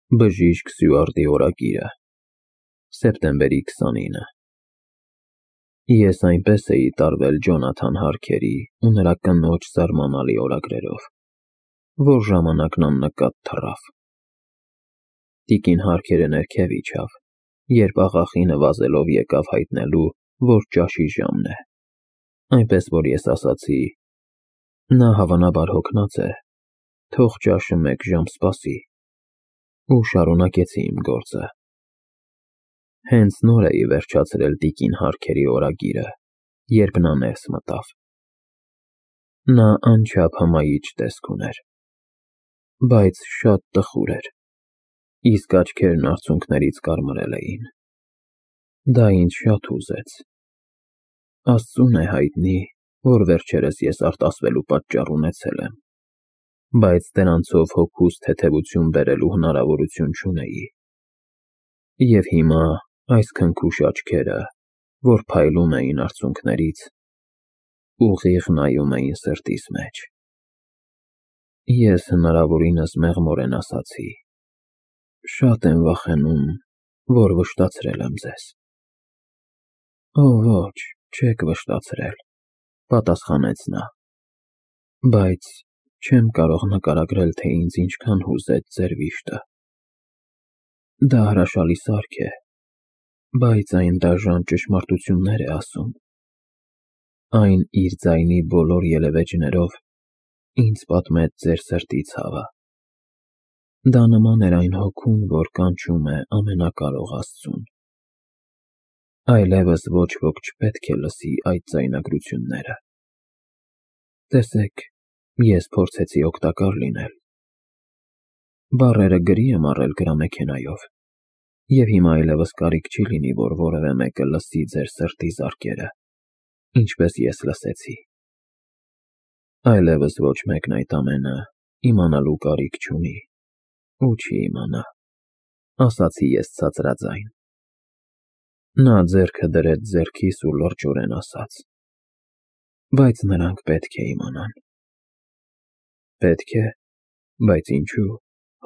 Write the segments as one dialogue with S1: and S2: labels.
S1: Բժիշկ Սյուարտի օրագիրը, սեպտեմբերի 29։ Ես այնպես էի տարվել Ջոնաթան Հարքերի ու նրա կնոջ զարմանալի օրագրերով, որ ժամանակն աննկատ թռավ։ Տիկին Հարքերը ներքև իջավ, երբ աղախինը վազելով եկավ հայտնելու, որ ճաշի ժամն է, այնպես որ ես ասացի. նա հավանաբար հոգնած է, թող ճաշը 1 ժամ սպասի, ու շարունակեցի իմ գործը։ Հենց նոր էի վերջացրել տիկին Հարքերի օրագիրը, երբ նա ներս մտավ։ Նա անչափ հմայիչ տեսք ուներ, բայց շատ տխուր էր, իսկ աչքերն արցունքներից կարմրել էին։ Դա ինձ շատ հուզեց։ Աստծուն է հայտնի, որ վերջերս ես արտասվելու պատճառ ունեցել եմ, բայց դրանցով հոգուս թեթևություն բերելու հնարավորություն չունեի։ Եվ հիմա այս քնքուշ աչքերը, որ փայլում էին արցունքներից, ուղիղ նայում էին սրտիս մեջ։ Ես հնարավորինս մեղմորեն ասացի. շատ եմ վախենում, որ վշտացրել եմ ձեզ։ Օ, ոչ, չեք վշտացրել, պատասխանեց նա, բայց չեմ կարող նկարագրել, թե ինձ ինչքան հուզեց ձեր վիշտը։ Դա հրաշալի սարք է, բայց այն դաժան ճշմարտություններ է ասում։ Այն իր ձայնի բոլոր ելևէջներով ինձ պատմեց ձեր սրտի ցավը։ Դա նման էր այն հոգուն, որ կանչում է ամենակարող Աստծուն։ Այլևս ոչ ոք չպետք է լսի այդ ձայնագրությունները։ Տեսեք, ես փորձեցի օգտակար լինել։ Բառերը գրի եմ առել գրամեքենայով, և հիմա այլևս կարիք չի լինի, որ որևէ մեկը լսի ձեր սրտի զարկերը, ինչպես ես լսեցի։ Այլևս ոչ մեկն այդ ամենը իմանալու կարիք չունի ու չի իմանա, ասացի ես ցածրաձայն։ Նա ձեռքը դրեց ձեռքիս ու լրջորեն ասաց. բայց նրանք պետք է իմանան։ Պետք է, բայց ինչու,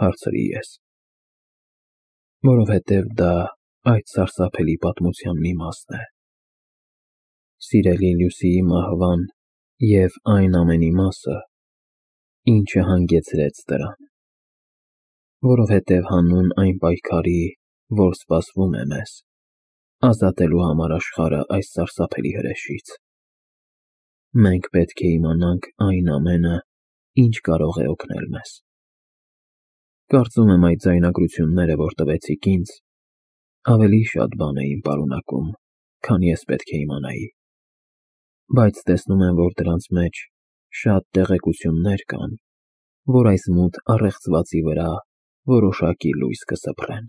S1: հարցրի ես։ Որովհետև դա այդ սարսափելի պատմության մի մասն է։ Սիրելի Լյուսիի մահվան և այն ամենի մասը, ինչը հանգեցրեց դրան։ Որովհետև հանուն այն պայքարի, որ սպասվում է մեզ, ազատելու համար աշխարհը այս սարսափելի հրեշից, մենք պետք է իմանանք այն ամենը, ինչ կարող է օգնել մեզ։ Կարծում եմ այդ ձայնագրությունները, որ տվեցիք ինձ, ավելի շատ բան էին պարունակում, քան ես պետք է իմանայի, բայց տեսնում եմ, որ դրանց մեջ շատ տեղեկություններ կան, որ այս մութ առեղծվածի վրա որոշակի լույս կսփռեն։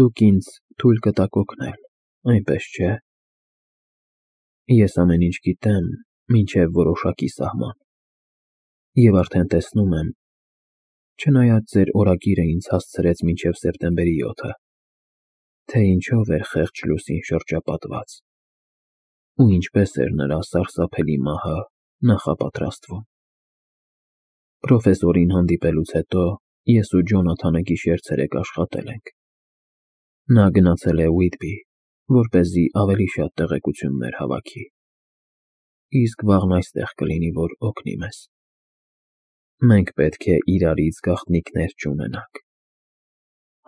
S1: Դուք ինձ թույլ կտաք օգնել, այնպես չէ՞։ Ես ամեն ինչ գիտեմ մինչև որոշակի սահման, և արդեն տեսնում եմ, չնայած ձեր օրագիրը ինձ հասցրեց մինչև սեպտեմբերի 7-ը, թե ինչով էր խեղճ Լուսին շրջապատված, ու ինչպես էր նրա սարսափելի մահը նախապատրաստվում։ Պրոֆեսորին հանդիպելուց հետո ես ու Ջոնաթանը գիշեր-ցերեկ աշխատել ենք։ Նա գնացել է Ուիթբի, որպեսզի ավելի շատ տեղեկություններ հավաքի, իսկ վաղն այստեղ կլինի, որ օգնի մեզ։ Մենք պետք է իրարից գաղտնիքներ չունենանք։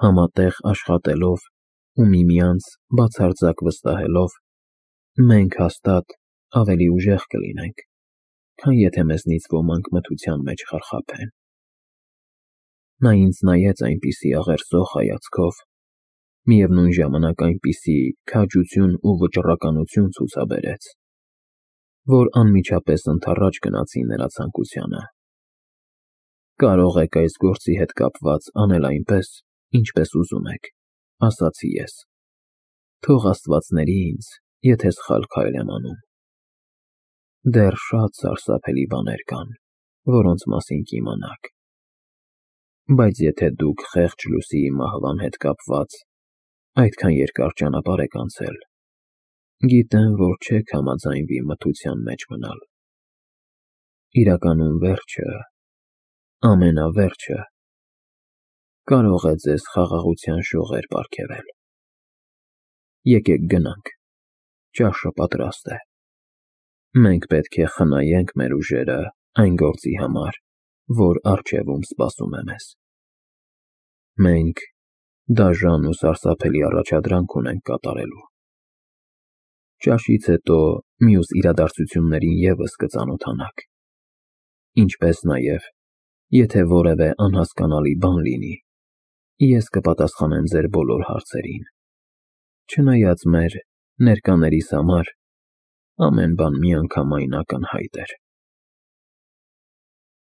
S1: Համատեղ աշխատելով ու միմյանց բացարձակ վստահելով, մենք հաստատ ավելի ուժեղ կլինենք, քան եթե մեզնից ոմանք մթության մեջ խարխափեն։ Նա ինձ նայեց այնպիսի աղերսող հայացքով, միևնույն ժամանակ այնպիսի քաջություն ու վճռականություն ցուցաբերեց, որ անմիջապես ընդառաջ գնացի նրա ցանկությանը։ Կարող եք այս գործի հետ կապված անել այնպես, ինչպես ուզում եք, ասացի ես։ Թող Աստված ների ինձ, եթե սխալ քայլ եմ անում։ Դեռ շատ սարսափելի բաներ կան, որոնց մասին կիմանաք։ Բայց եթե դուք խեղճ Լուսիի մահվան հետ կապված այդքան երկար ճանապարհ եք անցել, գիտեմ, որ չեք համաձայնվի մթության մեջ մնալ։ Իրականում վերջը, ամենավերջը կարող է ձեզ խաղաղության շողեր պարգևել։ Եկեք գնանք, ճաշը պատրաստ է։ Մենք պետք է խնայենք մեր ուժերը այն գործի համար, որ առջևում սպասում է մեզ։ Մենք դաժան ու սարսափելի առաջադրանք ունենք կատարելու։ Ճաշից հետո մյուս իրադարձություններին ևս կծանոթանաք, ինչպես նաև, եթե որևէ անհասկանալի բան լինի, ես կպատասխանեմ ձեր բոլոր հարցերին, չնայած մեր ներկաներիս համար ամեն բան միանգամայն ակնհայտ էր։